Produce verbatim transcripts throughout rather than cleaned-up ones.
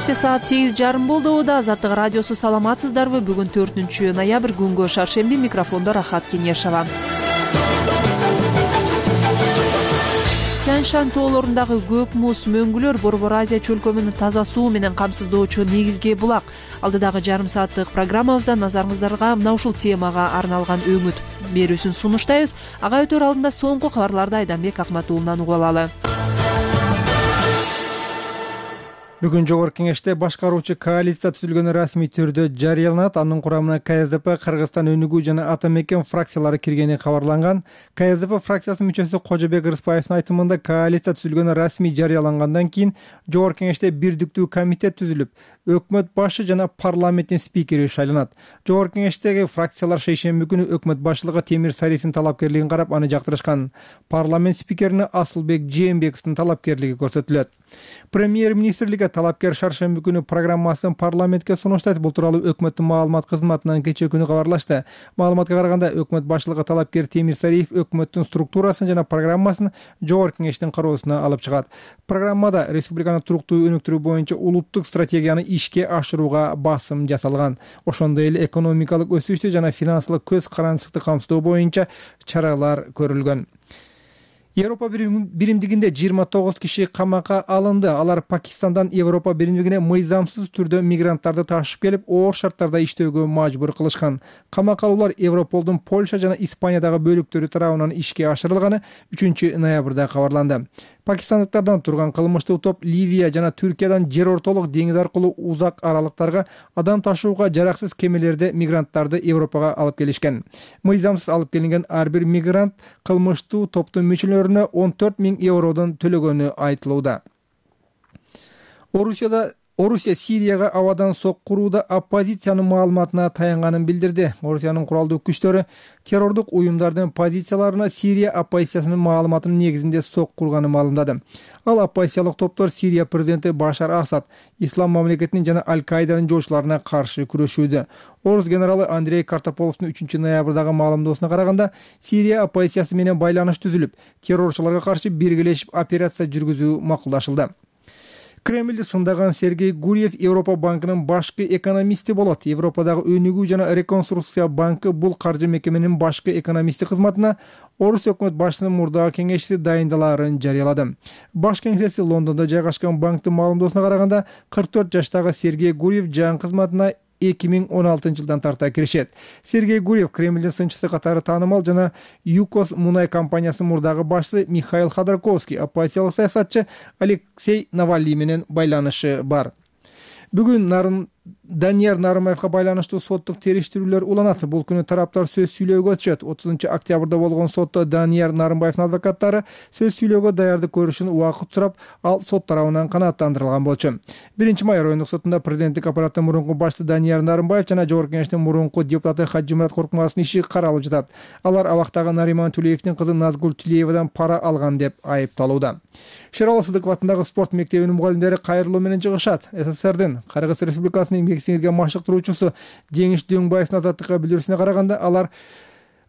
Кечте саат сегиз жарым болду. Да Азаттык радиосу саламатсыздарбы? Бүгүн төртүнчү ноябрь күнгө шаршемби, микрофондо Рахат Кенешова. Тянь-Шань тоолорундагы көк муз мөңгүлөр Борбор Азия чөлкөмүн таза суу менен камсыздоочу негизги булак. Алдыдагы жарым сааттык программабызда назарыңыздарга мына ушул темага арналган өңүт берүүсүн сунуштайбыз. Ага өтөр алдында соңку кабарларды Айданбек Акматуулунан угуп алалы. Бүгүн Жогорку Кеңеште башкаруучу коалиция түзүлгөнү расмий түрдө жарыяланат. Анын курамына КСДП, Кыргызстан өнүгүү жана Ата мекен фракциялары киргени кабарланган. КСДП фракциясынын мүчөсү Кожобек Рыспаевдин айтымында коалиция түзүлгөнү расмий жарыялангандан кийин Жогорку Кеңеште бирдиктүү комитет түзүлүп, өкмөт башы жана парламенттин спикери шайланат. Жогорку Кеңештеги фракциялар шейшемби күнү өкмөт башчылыгы Темир Сариевдин талапкерлигин карап, аны жактырышкан. Парламент спикерине Асылбек Жээнбековдун талапкерлиги көрсөтүлөт. Премьер-министрликке талапкер шаршемби күнү программасын парламентке сунуштайт. Бул тууралуу өкмөттүн маалымат кызматынан кечээ күнү кабарлашты. Маалыматка караганда, өкмөт башчылыгы талапкер Темир Сариев өкмөттүн структурасын жана программасын Жогорку Кеңештин кароосуна алып чыгат. Программада республиканы туруктуу өнүктүрүү боюнча улуттук стратегияны ишке ашырууга басым жасалган. Ошондой эле экономикалык өсүштү жана финансылык көз карандычылыкты камсыздоо боюнча чаралар көрүлгөн. Европа биримдигинде жыйырма тогуз киши камакка алынды. Алар Пакистандан Европа биримдигине мыйзамсыз түрдө мигранттарды ташып келип, оор шарттарда иштөөгө мажбур кылышкан. Камакка алуулар Европолдун Польша жана Испаниядагы бөлүктөрү тарабынан ишке ашырылганы үчүнчү ноябрда кабарланды. Пакистандыктардан турган кылмыштуу топ Ливия жана Түркиядан жер ортолук деңиз аркылуу узак аралыктарга адам ташууга жараксыз кемелерде мигранттарды Европага алып келишкен. Мыйзамсыз алып келинген ар бир мигрант кылмыштуу топтун мүчөлөрүнө он төрт миң евродон төлөгөнү айтылууда. Орусияда Орусия Сирияга абадан сок курууда оппозициянын маалыматына таянганын билдирди. Орусиянын куралдуу күчтөрү террордук уюмдардын позицияларына Сирия оппозициясынын маалыматынын негизинде сок курганын маалымдады. Ал оппозициялык топтор Сирия президенти Башар Асад, Ислам мамлекетинин жана Аль-Каиданын жоочуларына каршы күрөшүүдө. Орус генералы Андрей Картополовдун үчүнчү ноябрдагы маалымдоосуна караганда, Сирия оппозициясы менен байланыш түзүлүп, террорчуларга каршы биргелешип операция жүргүзүү макулдашылды. Кремлди сындаган Сергей Гурьев Европа банкынын башкы экономисти болот. Европадагы өнүгүү жана реконструкция банкы бул каржы мекеменин башкы экономисти кызматына Орус өкмөт башчысынын мурдагы кеңешчиси дайындалаарын жарыялады. Баш кеңсеси Лондондо жайгашкан банктын маалымдоосуна караганда, кырк төрт жаштагы Сергей Гурьев жаңы кызматына эки миң он алтынчы жылдан тарта киришет. Сергей Гурьев Кремлдин сынчысы катары таанымал жана ЮКОС мунай компаниясынын мурдагы башчысы Михаил Ходорковский, оппозициялык саясатчы Алексей Навальный менен байланышы бар. Бүгүн Нарын Данияр Нарымбаевга байланыштуу соттук териштирүүлөр уланат. Бул күнү тараптар сөз сүйлөөгө өтүшөт. отузунчу октябрда болгон сотто Данияр Нарымбаевдин адвокаттары сөз сүйлөөгө даярдык көрүшүн убакыт сурап, ал сот тарабынан канааттандырылган болчу. биринчи май райондук сотунда президенттик аппараттын мурунку башчысы Данияр Нарымбаев жана Жогорку Кеңештин мурунку депутаты Хаджимурат Коркмазовдун иши каралып жатат. Алар абактагы Нариман Тулеевдин кызы Назгул Тулеевадан пара алган деп айыпталууда. Шералы Сыдыков атындагы спорт мектебинин мугалимдери кайрылуу менен чыгышат. СССРдин Кыргыз Республикасынын еңбек сиңирген машыктыруучусу Жеңиш Дөңбаевдин азаттыкка билдирүүсүнө караганда, алар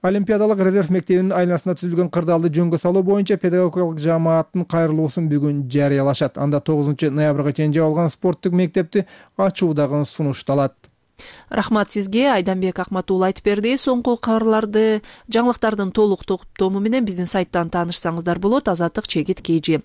Олимпиадалык резерв мектебинин айланасында түзүлгөн кырдаалды жөнгө салуу боюнча педагогикалык жамааттын кайрылуусун бүгүн жарыялашат. Анда тогузунчу ноябрга чейин жабылган спорттук мектепти ачуу дагы сунушталат. Рахмат сизге. Айданбек Акматуул айтып берди. Соңку кабарларды, жаңылыктардын толук топтому менен биздин сайттан таанышсаңыздар болот. Азаттык чегит Кж.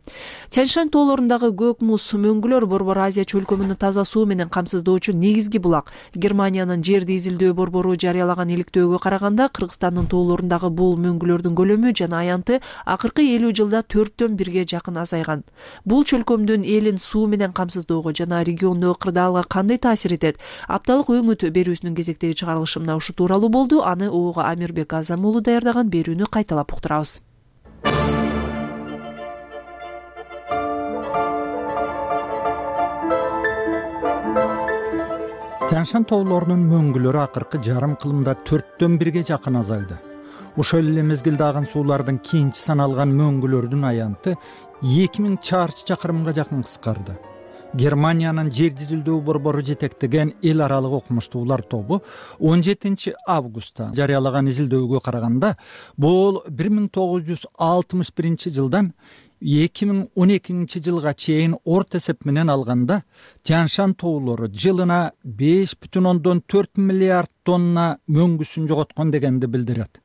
Тянь-Шань тоолорундагы көк муз мөңгүлөр Борбор Азия чөлкөмүн таза суу менен камсыздоочу негизги булак. Германиянын жерди изилдөө борбору жарыялаган иликтөөгө караганда, Кыргызстандын тоолорундагы бул мөңгүлөрдүн көлөмү жана аянты акыркы элүү жылда төрттөн бирге жакын азайган. Бул чөлкөмдүн элин суу менен камсыздоого жана региондогу кырдаалга кандай таасир этет? Апталык өңүт берүүсүнүн кезектеги чыгарылышы мына ушу тууралуу болду. Аны Оого Амирбек Азам уулу даярдаган берүүнү кайталап уктурабыз. Тянь-Шань тоолорунун мөңгүлөрү акыркы жарым кылымда төрттөн бирге жакын азайды. Ошол эле мезгилде аган суулардын кийинчи саналган мөңгүлөрдүн аянты эки миң чарчы чакырымга жакын кыскарды. Германиянын жер изилдөө борбору жетектеген эл аралык окумуштуулар тобу он жетинчи августта жарыялаган изилдөөгө караганда, бул бир миң тогуз жүз алтымыш биринчи жылдан эки миң он экинчи жылга чейин орто эсеп менен алганда Тянь-Шань тоолору жылына беш бүтүн ондон төрт миллиард тонна мөңгүсүн жоготкон дегенди билдирет.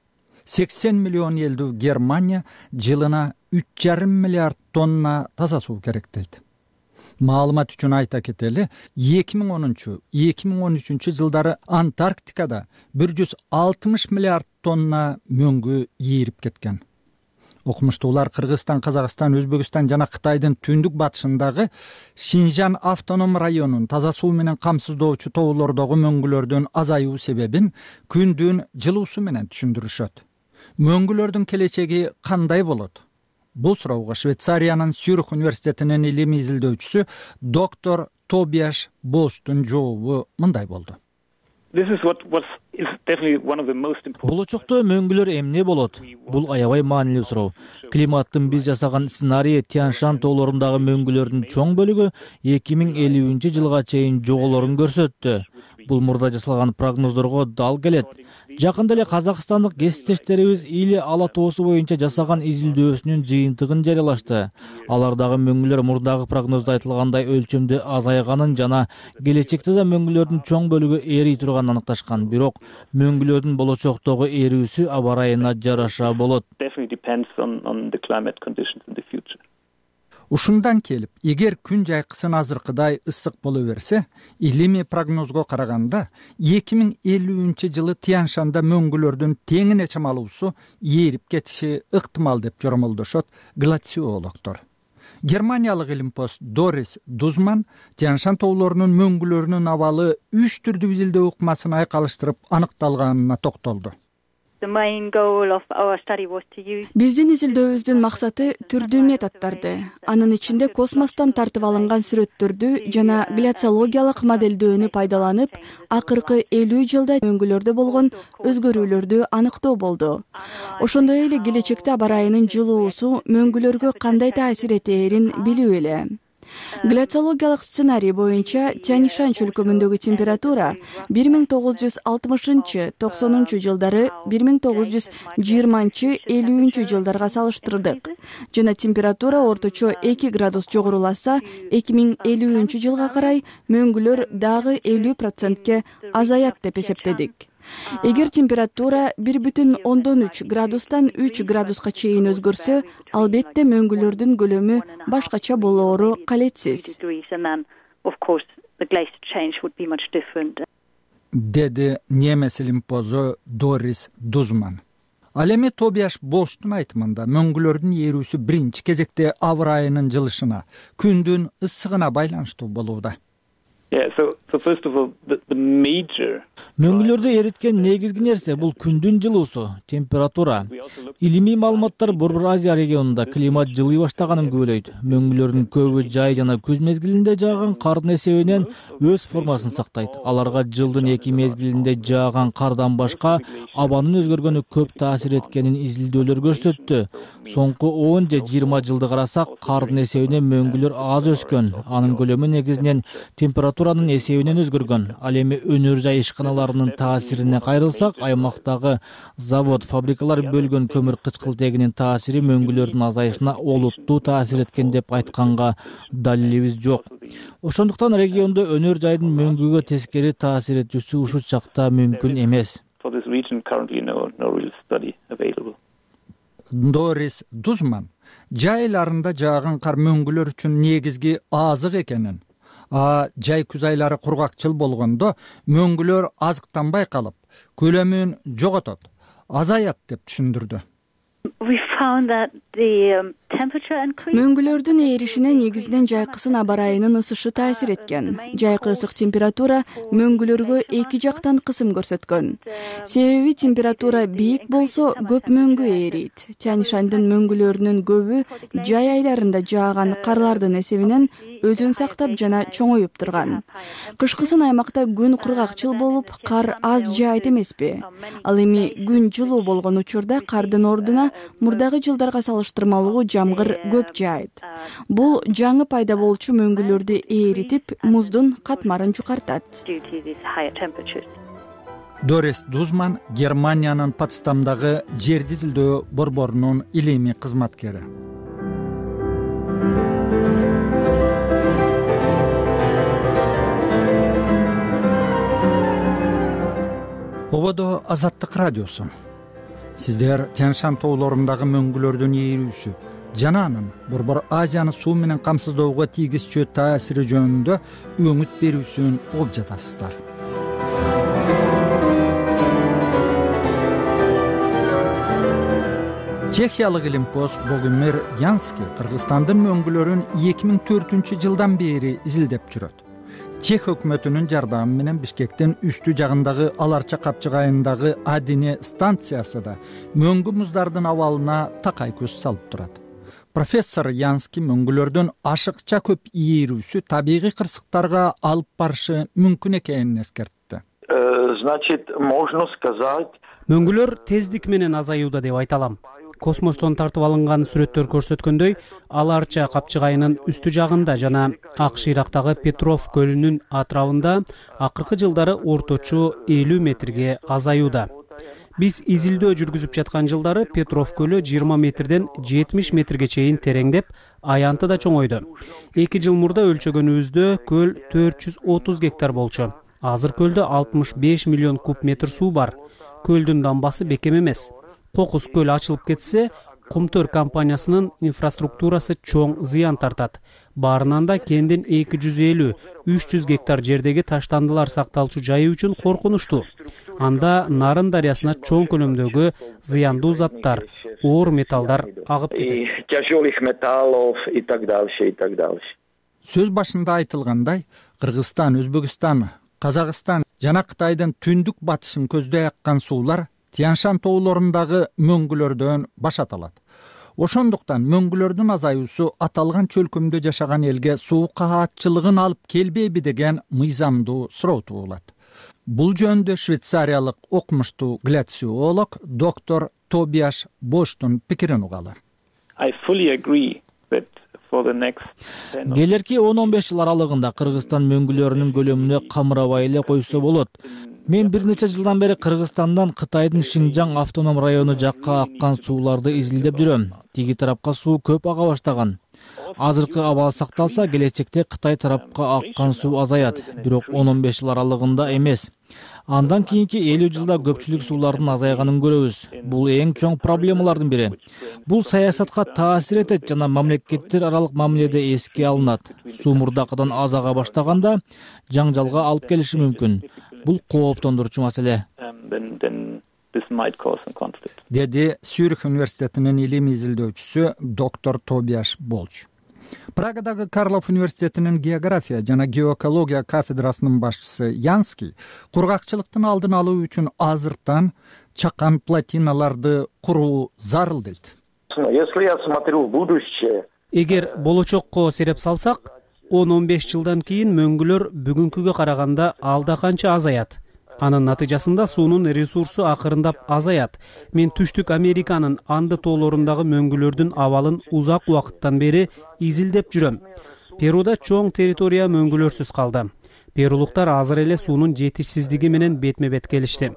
сексен миллион элдүү Германия жылына үч жарым миллиард тонна таза суу керек дейт. Маалымат үчүн айта кетели, эки миң онунчу — эки миң он үчүнчү жылдары Антарктикада бир жүз алтымыш миллиард тонна мөңгү ийирип кеткен. Окумуштуулар Кыргызстан, Казакстан, Өзбекстан жана Кытайдын түндүк батышындагы Шинжан автоном районун таза суу менен камсыздоочу тоолордогу мөңгүлөрдүн азаюу себебин күндүн жылуусу менен түшүндүрүшөт. Мөңгүлөрдүн келечеги кандай болот? Бул суроого Швейцариянын Цюрих университетинин илимий изилдөөчүсү доктор Тобиаш Болштун жообу мындай болду. Болочокто мөңгүлөр эмне болот? Бул аябай маанилүү суроо. Климаттын биз жасаган сценарийи Тянь-Шань тоолорундагы мөңгүлөрдүн чоң бөлүгү эки миң элүүнчү жылга чейин жоголорун көрсөттү. Бул мурда жасалган прогноздорго дал келет. Жакында эле казакстандык кесиптештерибиз Или ала тоосу боюнча жасаган изилдөөсүнүн жыйынтыгын жарыялашты. Алардагы мөңгүлөр мурдагы прогноздо айтылгандай өлчөмдө азайганын жана келечекте да мөңгүлөрдүн чоң бөлүгү эрий турганын аныкташкан. Бирок мөңгүлөрдүн болочоктогу эрүүсү аба ырайына жараша болот. Ушундан келип, эгер күн жайкысын азыркыдай ысык боло берсе, илимий прогнозго караганда эки миң элүүнчү жылы Тянь-Шанда мөңгүлөрдүн теңине чамалуусу ээрип кетиши ыктымал деп жоромолдошот глациологдор. Германиялык илимпоз Дорис Дузман Тянь-Шань тоолорунун мөңгүлөрүнүн абалы үч түрдүү изилдөө ыкмасын айкалыштырып аныкталганына токтолду. Биздин изилдөөбүздүн максаты түрдүү методдорду, анын ичинде космостон тартып алынган сүрөттөрдү жана гляциологиялык моделдөөнү пайдаланып, акыркы элүү жылда мөңгүлөрдө болгон өзгөрүүлөрдү аныктоо болду. Ошондой эле келечекте аба ырайынын жылуусу мөңгүлөргө кандай таасир этээрин билүү эле. Гляциологиялык сценарий боюнча Тянь-Шань чөлкөмүндөгү температура бир миң тогуз жүз алтымышынчы — токсонунчу жылдары бир миң тогуз жүз жыйырманчы — элүүнчү жылдарга салыштырдык жана температура орточо эки градус жогоруласа, эки миң элүүнчү жылга карай мөңгүлөр дагы элүү процентке азаят деп эсептедик. Эгер температура бир бүтүн ондон үч градустан үч градуска чейин өзгөрсө, албетте мөңгүлөрдүн көлөмү башкача болоору калетсиз. Деди немес илимпозу Дорис Дузман. Ал эми Тобиаш Болштун айтымында мөңгүлөрдүн ээрүүсү биринчи кезекте аба ырайынын жылышына, күндүн ысыгына байланыштуу болууда. Мөңгүлөрдү эриткен негизги нерсе бул күндүн жылуусу, температура. Илимий маалыматтар Борбор Азия регионунда климат жылый баштаганын күбөлөйт. Мөңгүлөрдүн көбү жай жана күз мезгилинде жааган кардын эсебинен өз формасын сактайт. Аларга жылдын эки мезгилинде жааган кардан башка абанын өзгөргөнү көп таасир эткенин изилдөөлөр көрсөттү. Соңку он же жыйырма жылды карасак, кардын эсебинен мөңгүлөр аз өскөн. Анын көлөмү негизинен температуранын эсебинен өзгөргөн. Ал эми өнөр жай ишканаларынын таасирине кайрылсак, аймактагы завод, фабрикалар бөлгөн көмүр кычкылтегинин таасири мөңгүлөрдүн азайышына олуттуу таасир эткен деп айтканга далилибиз жок. Ошондуктан региондо өнөр жайдын мөңгүгө тескери таасир этүүсү ушул чакта мүмкүн эмес. Дорис Дузман жай айларында жааган кар мөңгүлөр үчүн негизги азык экенин, а жай күз айлары кургакчыл болгондо мөңгүлөр азыктанбай калып, көлөмүн жоготот, азаят деп түшүндүрдү. Мөңгүлөрдүн ээришине негизинен жайкысын аба ырайынын ысышы таасир эткен. Жайкы ысык температура мөңгүлөргө эки жактан кысым көрсөткөн. Себеби температура бийик болсо көп мөңгү ээрийт. Тянь-Шандын мөңгүлөрүнүн көбү жай айларында жааган карлардын эсебинен өзүн сактап жана чоңоюп турган. Кышкысын аймакта күн кургакчыл болуп, кар аз жаайт эмеспи? Ал эми күн жылуу болгон учурда кардын ордуна мурдагы жылдарга салыштырмалуу жамгыр көп жаайт. Бул жаңы пайда болчу мөңгүлөрдү ээритип, муздун катмарын жукартат. Дорис Дузман Германиянын Потсдамдагы жерди изилдөө борборунун илимий кызматкери. Ободо Азаттык радиосу. Сиздер Тянь-Шань тоолорундагы мөңгүлөрдүн ээрүүсү жана анын Борбор Азияны суу менен камсыздоого тийгизчү таасири жөнүндө өңүт берүүсүн угуп жатасыздар. Чехиялык илимпоз Богомир Янский Кыргызстандын мөңгүлөрүн эки миң төртүнчү жылдан бери изилдеп жүрөт. Чех өкмөтүнүн жардамы менен Бишкектин үстү жагындагы Аларча капчыгайындагы Адине станциясы да мөңгү муздардын абалына такай көз салып турат. Профессор Янский мөңгүлөрдүн ашыкча көп ээрүүсү табигый кырсыктарга алып барышы мүмкүн экенин эскертти. Значит, можно сказать, мөңгүлөр тездик менен азаюуда деп айта алам. Космостон тартып алынган сүрөттөр көрсөткөндөй, Аларча капчыгайынын үстү жагында жана акш Ирактагы Петров көлүнүн атрабында акыркы жылдары орточо элүү метрге азаюуда. Биз изилдөө жүргүзүп жаткан жылдары Петров көлү жыйырма метрден жетимиш метрге чейин тереңдеп, аянты да чоңойду. эки жыл мурда өлчөгөнүбүздө көл төрт жүз отуз гектар болчу. Азыр көлдө алтымыш беш миллион куб метр суу бар. Көлдүн дамбасы бекем эмес. Кокус көл ачылып кетсе, Кумтөр компаниясынын инфраструктурасы чоң зыян тартат. Баарынан да кендин эки жүз элүү - үч жүз гектар жердеги таштандылар сакталчу жайы үчүн коркунучтуу. Анда Нарын дарыясына чоң көлөмдөгү зыяндуу заттар, оор металлдар агып кетет. тяжелых металлов и так дальше, и так дальше. Сөз башында айтылгандай, Кыргызстан, Өзбекстан, Казакстан жана Кытайдын түндүк батышын көздөй аккан суулар Тянь-Шань тоолорундагы мөңгүлөрдөн башаталат. Ошондуктан мөңгүлөрдүн азаюусу аталган чөлкөмдө жашаган элге суу каатчылыгын алып келбейби деген мыйзамдуу суроо туулат. Бул жөнүндө швейцариялык окумуштуу гляциолог доктор Тобиаш Боштун пикирин угалы. I fully agree that for the next Келерки он он беш жыл аралыгында Кыргызстан мөңгүлөрүнүн көлөмүнө камырабай эле койсо болот. Мен бир нече жылдан бери Кыргызстандан Кытайдын Шинжаң автоном району жакка аккан сууларды изилдеп жүрөм. Тиги тарапка суу көп ага баштаган. Азыркы абал сакталса, келечекте Кытай тарапка аккан суу азаят, бирок он он беш жыл аралыгында эмес. Андан кийинки элүү жылда көпчүлүк суулардын азайганын көрөбүз. Бул эң чоң проблемалардын бири. Бул саясатка таасир этет жана мамлекеттер аралык мамиледе эске алынат. Суу мурдакыдан аз ага баштаганда жаңжалга алып келиши мүмкүн. Бул кооптондурчу маселе. Деди Сюрих университетинин илим изилдөөчүсү доктор Тобиаш Болч. Прагадагы Карлов университетинин география жана геоэкология кафедрасынын башчысы Янский кургакчылыктын алдын алуу үчүн азыртан чакан плотиналарды куруу зарыл дейт. Если я смотрю в будущее, Эгер болочокко сереп салсак, он он беш жылдан кийин мөңгүлөр бүгүнкүгө караганда алда канча азаят. Анын натыйжасында суунун ресурсу акырындап азаят. Мен Түштүк Американын Анды тоолорундагы мөңгүлөрдүн абалын узак убакыттан бери изилдеп жүрөм. Перуда чоң территория мөңгүлөрсүз калды. Перулуктар азыр эле суунун жетишсиздиги менен бетме-бет келишти.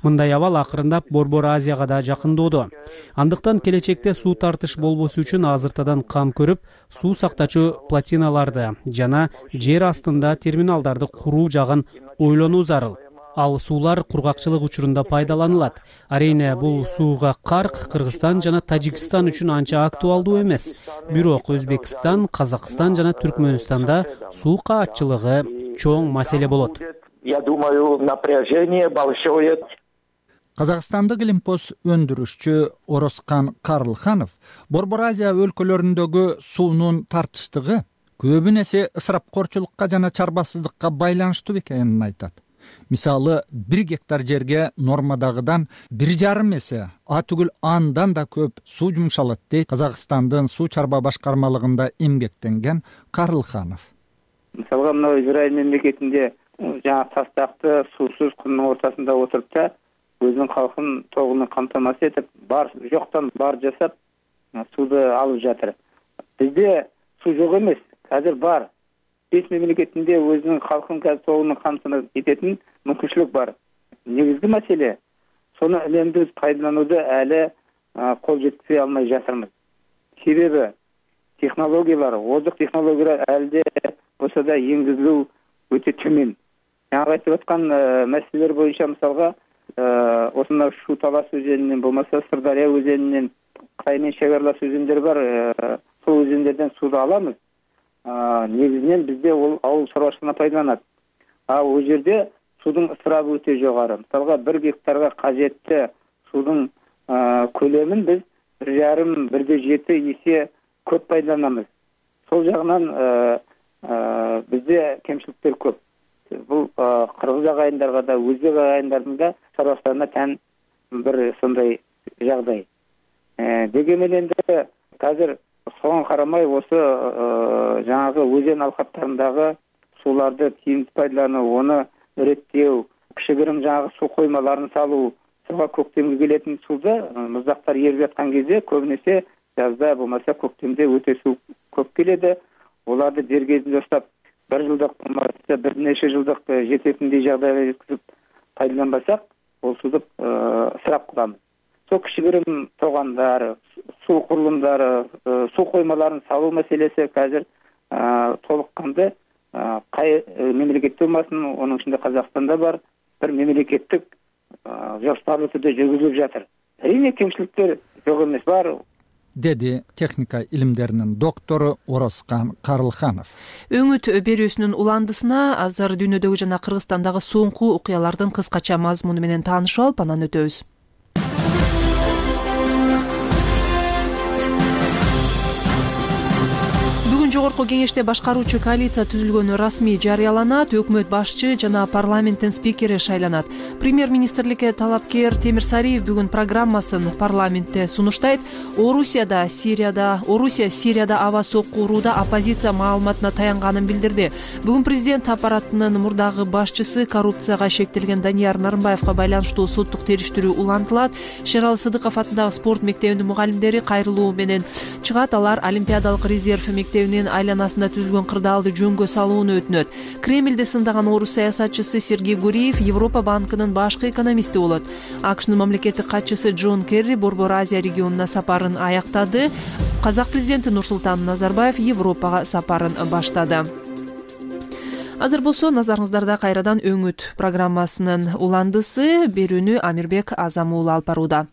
Мындай абал акырындап Борбор Азияга да жакындоодо. Андыктан келечекте суу тартыш болбосу үчүн азыртадан кам көрүп, суу сактачу плотиналарды жана жер астында терминалдарды куруу жагын ойлонуу зарыл. Ал суулар кургакчылык учурунда пайдаланылат. Арийне бул сууга карк Кыргызстан жана Тажикстан үчүн анча актуалдуу эмес. Бирок Өзбекстан, Казакстан жана Түркмөнстанда суу каатчылыгы чоң маселе болот. Я думаю, напряжение большое. Казакстандык илимпоз өндүрүшчү Ороскан Карлханов Борбор Азия өлкөлөрүндөгү суунун тартыштыгы көбүн эсе ысырапкорчулукка жана чарбасыздыкка байланыштуу экенин айтат. Мисалы, бир гектар жерге нормадагыдан бир жарым эсе, а түгүл андан да көп суу жумшалат дейт Казакстандын суу чарба башкармалыгында эмгектенген Карлханов. Мисалга, мына Израиль мемлекетинде жаңа тастакты суусуз кумдун ортасында отуруп да, өзүнүн калкын тогуну камтамасыз этип, бар жоктон бар жасап, сууду алып жатыр. Бизде суу жок эмес, азыр бар. Беш мемлекетинде өзүнүн калкын тогуну камтамасыз этетін мүмкүнчүлүк бар. Негизги маселе, сону үнөмдүү пайдаланууда әлі кол жеткизе алмай жатырмыз. Себеби технологиялар, озук технологиялар әлде болсо да энгизилүү өтө төмөн. Жаңа айтып аткан маселелер боюнча мисалга осуна Шу Талас өзөнүнөн болмаса Сырдария өзөнүнөн Кытай менен чек аралаш өзөндөр бар. Сол өзөндөрдөн сууду алабыз. Негизинен бизде ол ауыл шаруашылыгына пайдаланат. А ал жерде судун ысырабы өтө жогору. Мисалга бир гектарга кажетти судун көлөмүн биз бир жарым бирде жети эсе көп пайдаланабыз. Сол жагынан бизде кемчиликтер көп. Бул кыргыз агайындарга да, өзбек агайындардын да шаруачылыгына тән бир сондай жагдай. Деге менен да азыр согон карамай осы жаңагы өзен алкаптарындагы сууларды тиімді пайдалануу, оны иреттөө, кичигирим жаңагы суу коймаларын салуу, суга көктемге келетін сууда муздактар ерип жаткан кезде көбүнесе жазда болмаса көктемде өтө суу көп келеді. Оларды дер кезинде ұстап, бір жылдық болмаса бир нече жылдық жететиндей жагдайга жеткизип пайдаланбасак, ол сууду ысырап кылабыз. Сол кичигирим тогандар, суу курулумдары, суу коймаларын салуу маселеси азыр толук канды кай мемлекетте болмасын, онун ичинде Казакстанда бар, бир мемлекеттик жоспарлуу түрдө жүргүзүлүп жатыр. Әрине кемчиликтер жок эмес, бар, деди техника илимдеринин доктору Орозкан Карлыханов. Өңүт берүүсүнүн уландысына азыр дүйнөдөгү жана Кыргызстандагы соңку окуялардын кыскача мазмуну менен таанышып алып, анан өтөбүз. Жогорку кеңеште башкаруучу коалиция түзүлгөнү расмий жарыяланат, өкмөт башчы жана парламенттин спикери шайланат. Премьер-министрликке талапкер Темир Сариев бүгүн программасын парламентте сунуштайт. Орусияда, Сирияда, Орусия Сирияда аба сокку урууда оппозиция маалыматына таянганын билдирди. Бүгүн президент аппаратынын мурдагы башчысы коррупцияга шектелген Данияр Нарымбаевга байланыштуу соттук териштирүү улантылат. Шералы Сыдыков атындагы спорт мектебинин мугалимдери кайрылуу менен чыгат. Алар Олимпиадалык резерв мектебинин айланасында түзүлгөн кырдаалды жөнгө салууну өтүнөт. Кремльде сындаган орус саясатчысы Сергей Гуриев Европа банкынын башкы экономисти болот. АКШнын мамлекеттик катчысы Джон Керри Борбор Азия регионуна сапарын аяктады. Казак президенти Нурсултан Назарбаев Европага сапарын баштады. Азыр болсо назарыңыздарда кайрадан өңүт программасынын уландысы. Берүүнү Амирбек Азам уулу алып барууда.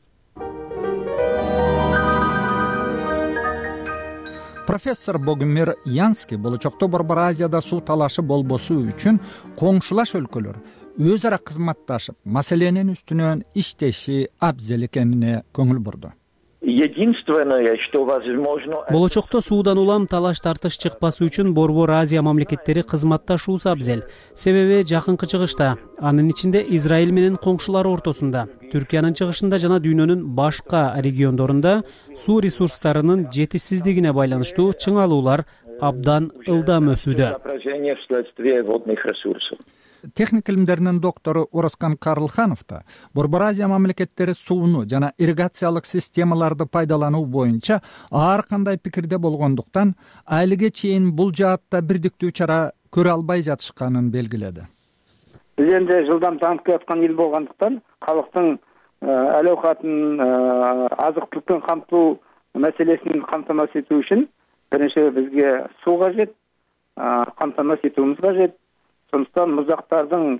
Профессор Богомир Янский болочокто Борбор Азияда суу талашы болбосу үчүн коңшулаш өлкөлөр өз ара кызматташып, маселенин үстүнөн иштеши абзел экенине көңүл бурду. Единственное, что возможно... Болочокто суудан улам талаш тартыш чыкпасы үчүн Борбор Азия мамлекеттери кызматташуусу абзел. Себеби жакынкы чыгышта, анын ичинде Израиль менен коңшулары ортосунда, Түркиянын чыгышында жана дүйнөнүн башка региондорунда суу ресурстарынын жетишсиздигине байланыштуу чыңалуулар абдан ылдам өсүүдө. Техника илимдеринин доктору Орозкан Карлыханов да Борбор Азия мамлекеттери сууну жана ирригациялык системаларды пайдалануу боюнча ар кандай пикирде болгондуктан айлыга чейин бул жаатта бирдиктүү чара көрө албай жатышканын белгиледи. Биз энди жылдам таанып келаткан эл болгондуктан калктын эл оокатын азык-түлүктүн камтылуу маселесин камтамасыз этүү үчүн биринчи бизге суу кажет, камтамасыз этүүбүз кажет. Сондықтан муздактардын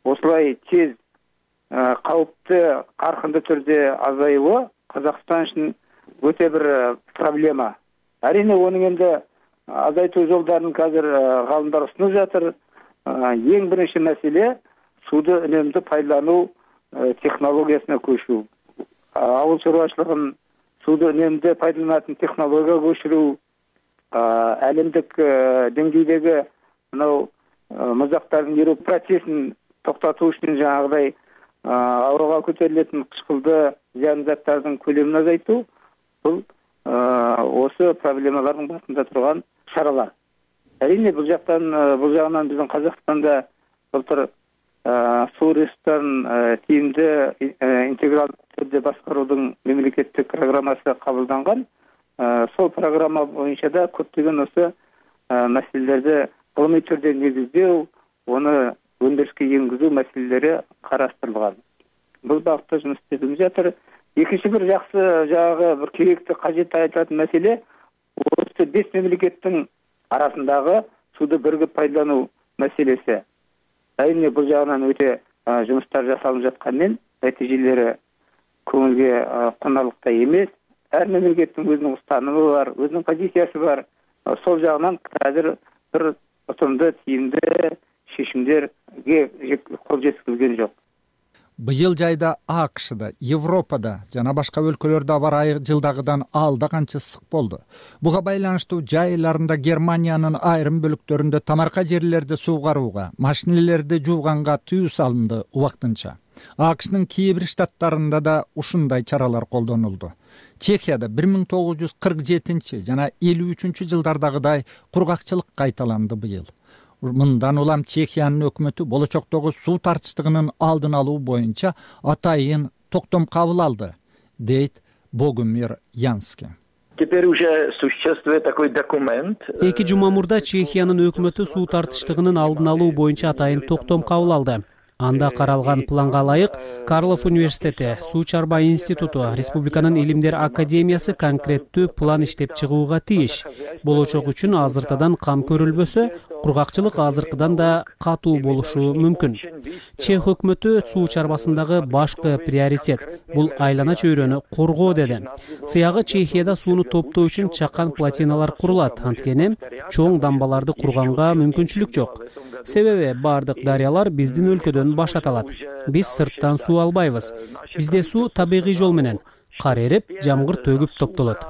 осылай тез кауіпті каркынды түрдө азаюу Казакстан үчүн өтө бир проблема. Әрине оның енді азайтуу жолдарын қазір ғалымдар ұсынып жатыр. Ең бірінші мәселе суды үнемді пайдалану технологиясына көшүү. Ауыл шаруашылыгын суды үнемді пайдаланатын технологияга көшүрүү, әлемдик деңгейдеги мынау муздактардын еруу процессин токтотуу үчүн жаңагыдай абрага көтөрүлөтүн кычкылды зыян заттардын көлөмүн азайтуу бул осы проблемалардын башында турган чаралар. Әрине бул жактан бул жагынан биздин Казакстанда былтыр суу ресурстарын тиімді интегралдуу түрдө башкаруудун мемлекеттик программасы кабылданган. Сол программа боюнча да көптөгөн осы маселелерди гылымый түрдө негиздөө, оны өндүрүшкө энгизүү маселелери караштырылган. Бул багытта жумуш иштелип жатыр. Экинчи бир жакшы жагы бир керектүү кажет айтылатын маселе осы беш мемлекеттин арасындагы сууду биригип пайдалануу маселеси. Әрине бул жагынан өтө жумуштар жасалып жатканын нәтижелері көңілге қонарлықтай емес. Әр мемлекеттің өзінің ұстанымы бар, өзінің позициясы бар. Сол жағынан қазір бір ұтымды, тиімді шешімдерге қол жеткізілген жоқ. Быйыл жайда АКШда, Европада жана башка өлкөлөрдө аба ырайы жылдагыдан алда канча ысык болду. Буга байланыштуу жай айларында Германиянын айрым бөлүктөрүндө тамарка жерлерди суугарууга, машинелерди жууганга тыюу салынды убактынча. АКШнын кээ бир штаттарында да ушундай чаралар колдонулду. Чехияда бир миң тогуз жүз кырк жетинчи жана элүү үчүнчү жылдардагыдай кургакчылык кайталанды быйыл. Мындан улам Чехиянын өкмөтү болочоктогу суу тартычтыгынын алдын алуу боюнча атайын токтом кабыл алды, дейт Богумир Янски. Теперь уже существует такой документ. Эки жума мурда Чехиянын өкмөтү суу тартычтыгынын алдын алуу боюнча атайын токтом кабыл алды. Анда каралган планга ылайык Карлов университети, Суу чарба институту, Республиканын илимдер академиясы конкреттүү план иштеп чыгууга тийиш. Болочок үчүн азыртадан кам көрүлбөсө, кургакчылык азыркыдан да катуу болушу мүмкүн. Чех өкмөтү суу чарбасындагы башкы приоритет бул айлана чөйрөнү коргоо деди. Сыягы Чехияда сууну топтоо үчүн чакан плотиналар курулат, анткени чоң дамбаларды курганга мүмкүнчүлүк жок. Себеби бардык дарыялар биздин өлкөдөн башат алат. Биз сырттан суу албайбыз. Бизде суу табигый жол менен кар эрип, жамгыр төгүп топтолот.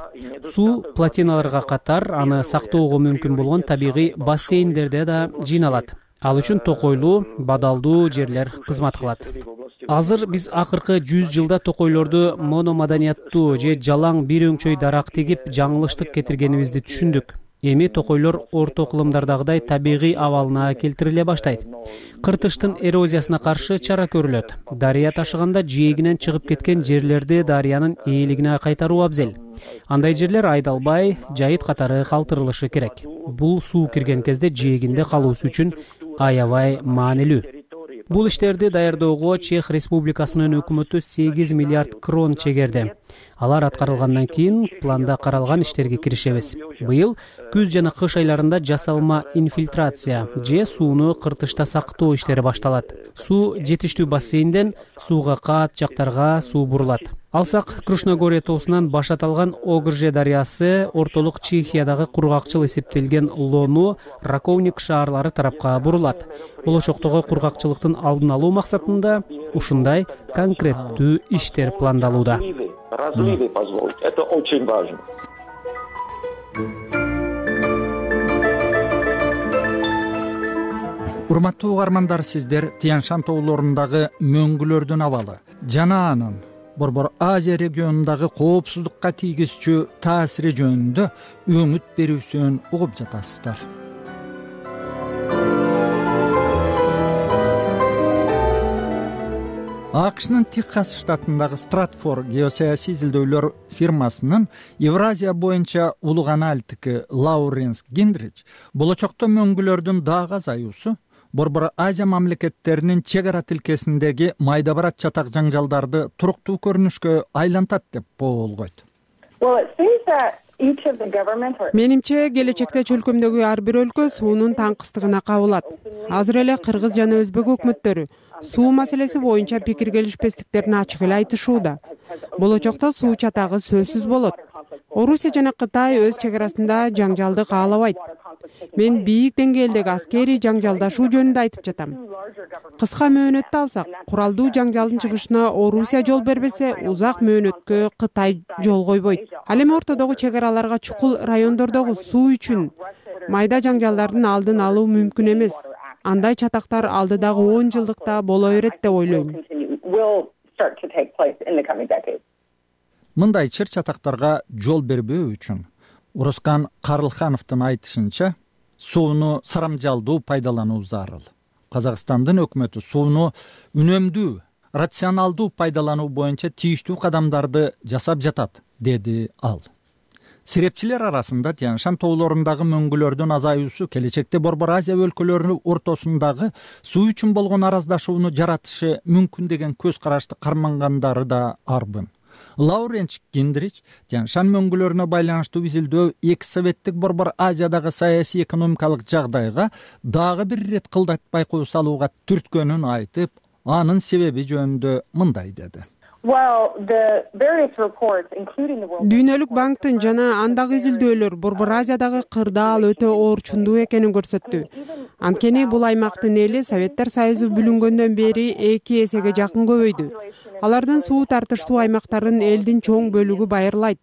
Суу плотиналарга катар аны сактоого мүмкүн болгон табигый бассейндерде да жыйналат. Ал үчүн токойлуу, бадалдуу жерлер кызмат кылат. Азыр биз акыркы жүз жылда токойлорду мономаданияттуу же жалаң бир өңчөй дарак тигип жаңылыштык кетиргенибизди түшүндүк. Эми токойлор орто кылымдардагыдай табигый абалына келтириле баштайт. Кыртыштын эрозиясына каршы чара көрүлөт. Дарыя ташыганда жээгинен чыгып кеткен жерлерди дарыянын ээлигине кайтаруу абзел. Андай жерлер айдалбай, жайыт катары калтырылышы керек. Бул суу кирген кезде жээгинде калуусу үчүн аябай маанилүү. Бул иштерди даярдоого Чех Республикасынын өкмөтү сегиз миллиард крон чегерди. Алар аткарылгандан кийин планда каралган иштерге киришебиз. Быйыл күз жана кыш айларында жасалма инфильтрация же сууну кыртышта сактоо иштери башталат. Суу жетиштүү бассейнден сууга каат жактарга суу бурулат. Алсак Крушногория тоосунан башат алган Огрже дарыясы ортолук Чехиядагы кургакчыл эсептелген Лону, Раковник шаарлары тарапка бурулат. Болочоктогу кургакчылыктын алдын алуу максатында ушундай конкреттүү иштер пландалууда. Разливы позволить. Это очень важно. Урматтуу угармандар, сиздер Тянь-Шань тоолорундагы мөңгүлөрдүн абалы жана анын Борбор Азия регионундагы коопсуздукка тийгизчү таасири жөнүндө өңүт берүүсүн угуп жатасыздар. АКШнын Техас штатындагы Стратфорд геосаясий изилдөөлөр фирмасынын Евразия боюнча улуг аналитики Лауренс Гиндрич болочокто мөңгүлөрдүн дагы азаюусу Борбор Азия мамлекеттеринин чек ара тилкесиндеги майда барат чатак жаңжалдарды туруктуу көрүнүшкө айлантат деп болгойт. Менимче келечекте чөлкөмдөгү ар бир өлкө суунун таңкыстыгына кабылат. Азыр эле Кыргыз жана Өзбек өкмөттөрү суу маселеси боюнча пикир келишпестиктерин ачык эле айтышууда. Болочокто суу чатагы сөзсүз болот. Орусия жана Кытай өз чек арасында жаңжалды каалабайт. Мен бийик деңгээлдеги аскерий жаңжалдашуу жөнүндө айтып жатам. Кыска мөөнөттү алсак, куралдуу жаңжалдын чыгышына Орусия жол бербесе, узак мөөнөткө Кытай жол койбойт. Ал эми ортодогу чек араларга чукул райондордогу суу үчүн майда жаңжалдардын алдын алуу мүмкүн эмес. Андай чатактар алдыдагы он жылдыкта боло берет деп ойлойм. Мындай чыр чатактарга жол бербөө үчүн Урускан Карлхановдун айтышынча, сууну сарамжалдуу пайдалануу зарыл. Казакстандын өкмөтү сууну үнөмдүү, рационалдуу пайдалануу боюнча тийиштүү кадамдарды жасап жатат, деди ал. Серепчилер арасында Тянь-Шань тоолорундагы мөңгүлөрдүн азаюусу келечекте Борбор Азия өлкөлөрүнүн ортосундагы суу үчүн болгон араздашууну жаратышы мүмкүн деген көз карашты кармангандары да арбын. Лауренс Гиндрич Тянь-Шань мөңгүлөрүнө байланыштуу изилдөө эки советтик Борбор Азиядагы саясий экономикалык жагдайга дагы бир ирет кылдат байкоо салууга түрткөнүн айтып, анын себеби жөнүндө мындай деди. Дүйнөлүк банктын жана андагы изилдөөлөр Борбор Азиядагы кырдаал өтө оорчундуу экенин көрсөттү. Анткени бул аймактын эли Советтер Союзу бүлүнгөндөн бери эки эсеге жакын көбөйдү. Алардын суу тартыштуу аймактарын элдин чоң бөлүгү байырлайт.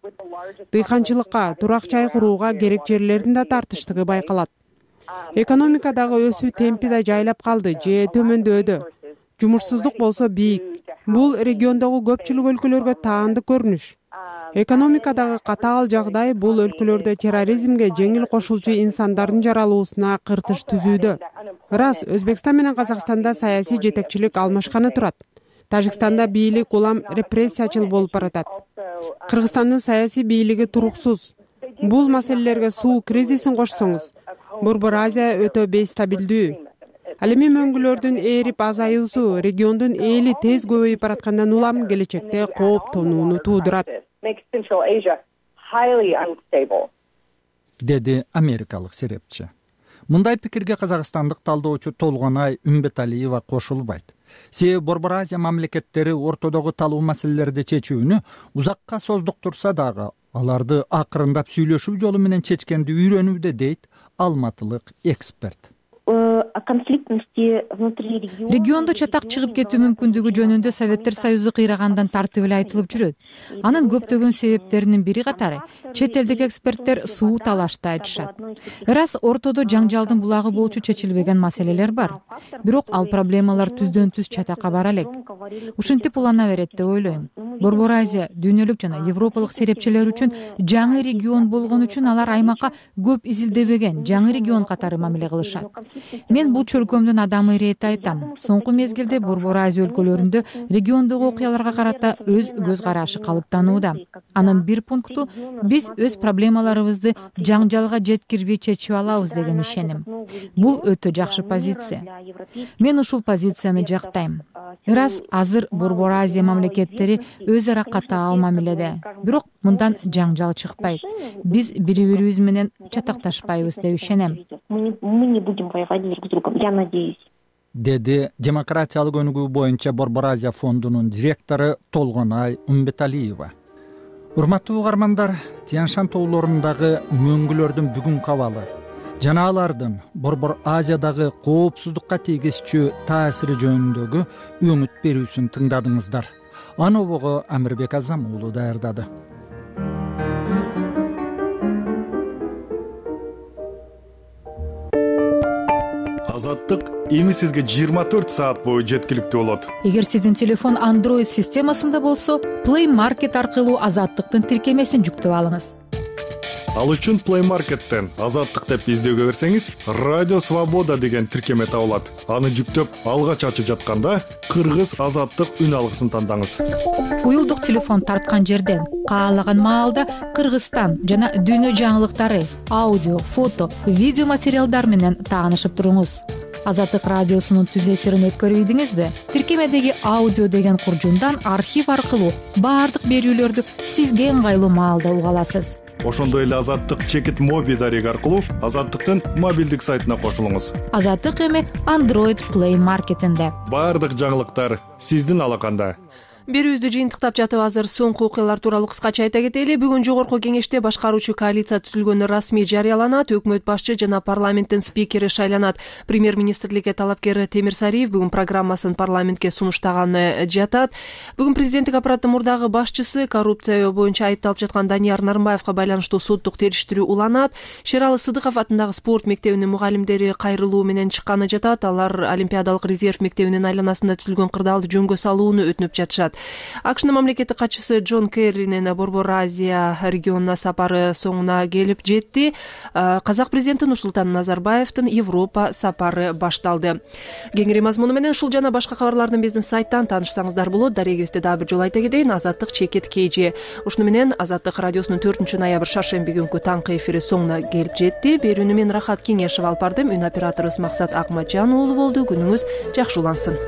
Дыйканчылыкка, турак жай курууга керек жерлердин да тартыштыгы байкалат. Экономикадагы өсүү темпи да жайлап калды же төмөндөөдө. Жумушсуздук болсо бийик. Бул региондогу көпчүлүк өлкөлөргө таандык көрүнүш. Экономикадагы катаал жагдай бул өлкөлөрдө терроризмге жеңил кошулчу инсандардын жаралуусуна кыртыш түзүүдө. Ырас, Өзбекстан менен Казакстанда саясий жетекчилик алмашканы турат. Тажикстанда бийлик улам репрессиячыл болуп баратат. Кыргызстандын саясий бийлиги туруксуз. Бул маселелерге суу кризисин кошсоңуз, Борбор Азия өтө бейстабилдүү. Ал эми мөңгүлөрдүн ээрип азаюусу региондун эли тез көбөйүп бараткандан улам келечекте кооптонууну туудурат, деди америкалык серепчи. Мындай пикирге казакстандык талдоочу Толгонай Үмбеталиева кошулбайт. Себеби Борбор Азия мамлекеттери ортодогу талуу маселелерди чечүүнү узакка создуктурса дагы аларды акырындап сүйлөшүү жолу менен чечкенди үйрөнүүдө, дейт алматылык эксперт. Региондо чатак чыгып кетүү мүмкүндүгү жөнүндө Советтер Союзу кыйрагандан тартып эле айтылып жүрөт. Анын көптөгөн себептеринин бири катары чет элдик эксперттер суу талашты айтышат. Ырас ортодо жаңжалдын булагы болчу чечилбеген маселелер бар. Бирок ал проблемалар түздөн түз чатакка бара элек. Ушинтип улана берет деп ойлойм. Борбор Азия дүйнөлүк жана европалык серепчилер үчүн жаңы регион болгон үчүн алар аймакка көп изилдебеген жаңы регион катары мамиле кылышат. Мен бул чөлкөмдүн адамы иретти айтам. Соңку мезгилде Борбор Азия өлкөлөрүндө региондогу окуяларга карата өз көз карашы калыптанууда. Анын бир пункту биз өз проблемаларыбызды жаңжалга жеткирбей чечип алабыз деген ишеним. Бул өтө жакшы позиция. Мен ушул позицияны жактайм. Ырас азыр Борбор Азия мамлекеттери өз ара катаал мамиледе. Бирок мындан жаңжал чыкпайт. Биз бири-бирибиз менен чатакташпайбыз деп ишенем. Деди демократиялык өнүгүү боюнча Борбор Азия фондунун директору Толгонай Үмбеталиева. Урматтуу угармандар, Тянь-Шань тоолорундагы мөңгүлөрдүн бүгүнкү абалы жана алардын Борбор Азиядагы коопсуздукка тийгизчү таасири жөнүндөгү өңүт берүүсүн тыңдадыңыздар. Аны обого Амирбек Азам уулу даярдады. Азаттык эми сизге жыйырма төрт саат бою жеткиликтүү болот. Эгер сиздин телефон Android системасында болсо, Play Market аркылуу Азаттыктын тиркемесин жүктөп алыңыз. Ал үчүн Play Market'тен Азаттык деп издөөгө берсеңиз, Радио Свобода деген тиркеме табылат. Аны жүктөп, алгач ачып жатканда Кыргыз Азаттык үн алгысын тандаңыз. Уюлдук телефон тарткан жерден каалаган маалда Кыргызстан жана дүйнө жаңылыктары, аудио, фото, видео материалдар менен таанышып туруңуз. Азаттык радиосунун түз эфирин өткөрүп ийдиңизби? Тиркемедеги аудио деген куржундан архив аркылуу баардык берүүлөрдү сизге ыңгайлуу маалда уга аласыз. Ошондой эле Азаттык чекит моби дареги аркылуу Азаттыктын мобилдик сайтына кошулуңуз. Азаттык эми Android Play Market'инде. Баардык жаңылыктар сиздин алаканда. Берүүбүздү жыйынтыктап жатып азыр соңку окуялар тууралуу кыскача айта кетели. Бүгүн жогорку кеңеште башкаруучу коалиция түзүлгөнү расмий жарыяланат. Өкмөт башчы жана парламенттин спикери шайланат. Премьер-министрликке талапкер Темир Сариев бүгүн программасын парламентке сунуштаганы жатат. Бүгүн президенттик аппараттын мурдагы башчысы коррупция боюнча айыпталып жаткан Данияр Нарымбаевга байланыштуу соттук териштирүү уланат. Шералы Сыдыков атындагы спорт мектебинин мугалимдери кайрылуу менен чыкканы жатат. Алар Олимпиадалык резерв мектебинин айланасында түзүлгөн кырдаалды жөнгө салууну өтүнүп жатышат. АКШнын мамлекеттик катчысы Джон Керринин Борбор Азия регионуна сапары соңуна келип жетти. Казак президенти Нурсултан Назарбаевдин Европа сапары башталды. Кеңири мазмуну менен ушул жана башка кабарлардын биздин сайттан таанышсаңыздар болот. Дарегибизди дагы бир жолу айта кетейин. Азаттык чекит кж. Ушуну менен Азаттык радиосунун төртүнчү ноябрь шаршемби күнкү таңкы эфири соңуна келип жетти. Берүүнү мен Рахат Кеңешев алып бардым. Үн операторубуз Максат Акматжан уулу болду. Күнүңүз жакшы улансын.